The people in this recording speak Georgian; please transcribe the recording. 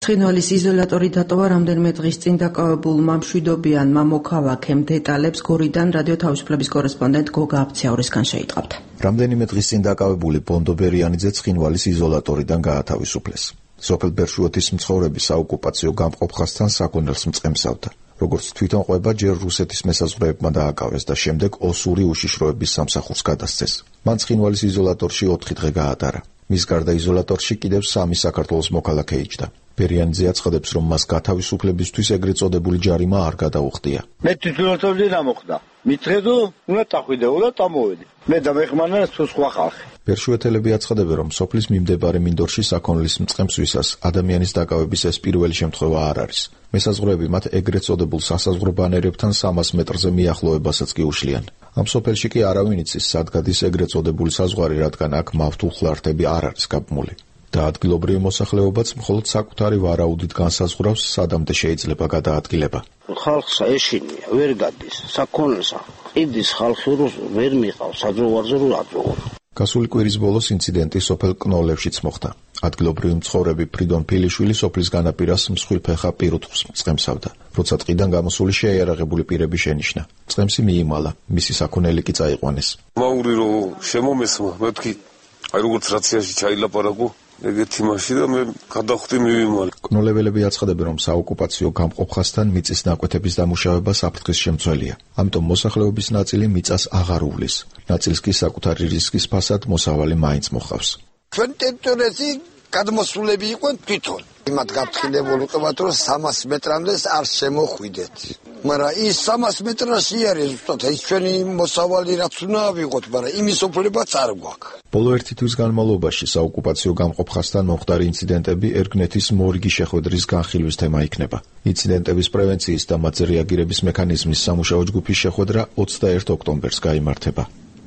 ცხინვალის იზოლატორი დატოვა რამდენიმე დღის წინ დაკავებულმა მშვიდობიანმა მოქალაქემ. დეტალებს გორიდან რადიო თავისუფლების კორესპონდენტ გოგა აფციაურისგან შეიტყავთ. რამდენიმე დღის წინ დაკავებული ბონდო ბერიანიძე ცხინვალის იზოლატორიდან გაათავისუფლეს. სოფელ ბერშუოთის მცხოვრები საოკუპაციო გამყოფხასთან საქონელს მწყემსავდა. როგორც თვითონ ყვება, ჯერ რუსეთის მესაზღვრეებმა დააკავეს და შემდეგ ოსური უშიშროების სამსახურს გადასცეს. მან ცხინვალის იზოლატორში 4 დღე გაატარა. მის გარდა იზოლატორში კიდევ 3 საქართველოს მოქალაქე იჯდა. ბერიანიძე აცხადებს, რომ მას გათავისუფლებისთვის ეგრეთ წოდებული ჯარიმა არ გადაუხდია. მე თვითონაც რა მოხდა? მითხედო, უნდა დახვიდე, უნდა დამოვედი. მე დამეხმარა თუ სხვა ხალხი. ბერშუეთელები აცხადებენ, რომ სოფლის მიმდებარე მინდორში საქონლის მწყემსვისას ადამიანის დაკავების ეს პირველი შემთხვევა არ არის. მესაზღვრეები მათ ეგრეთ წოდებულ სასაზღვრო ბანერებთან 300 მეტრზე მიახლოებასაც კი უშლიან. ამ სოფელში კი არავინ იცის, სად გადის ეგრეთ წოდებული საზღვარი, რადგან აქ მავთულხლართები არ არის გაბმული. და ადგილობრივი მოსახლეობაც მხოლოდ საკუთარი ვარაუდით განსაზღვრავს, სადამდე შეიძლება გადაადგილება. ხალხს ეშინია, ვერ გადის, საქონელსა. ყიდის ხალხი ვერ მიყავს, საძოვარზე რო აძოვო. გასული კვირის ბოლოს ინციდენტი სოფელ კნოლევშიც მოხდა. ადგილობრივი მცხოვრები ფრიდონ ფილიშვილი სოფლის განაპირას მსხვილფეხა პირუტყვს მწყემსავდა. როცა ტყიდან გამოსული შეიარაღებული პირები შენიშნა. მწყემსი მიიმალა, მისი საქონელი კი წაიყვანეს. მაური რო შემომესმა, მეთქი, აი როგორც რაციაში ჩაილაპარაკო, ეგეთი მაშინ და მე გადახვდი მივიმალე. კნოლეველები აცხადებენ, რომ საოკუპაციო გამყოფხასთან მიწის ნაკვეთების დამუშავება საფრთხის შემცველია. ამიტომ მოსახლეობის ნაწილი მიწას აღარ უვლის. ნაწილს კი საკუთარი რისკის ფასად მოსავალი მაინც მოხავს. ჩვენ ტერიტორიაზე გადმოსულები იყვნენ თვითონ. იმათ გაფრთხილებული ვიყავთ, რომ 300 მეტრამდე არ შემოხვიდეთ. მაგრამ ის 300 მეტრში არის ზუსტად ეს ჩვენი მოსავალი რაც უნდა ავიღოთ, მაგრამ იმის უფლებაც არ გვაქვს. ბოლო 1 თვის განმავლობაში საოკუპაციო გამყოფხასთან მომხდარი ინციდენტები ერგნეთის მორგი შეხვედრის განხილვის თემა იქნება. ინციდენტების პრევენციის და მათზე რეაგირების მექანიზმის სამუშაო ჯგუფის შეხვედრა 21 ოქტომბერს გაიმართება.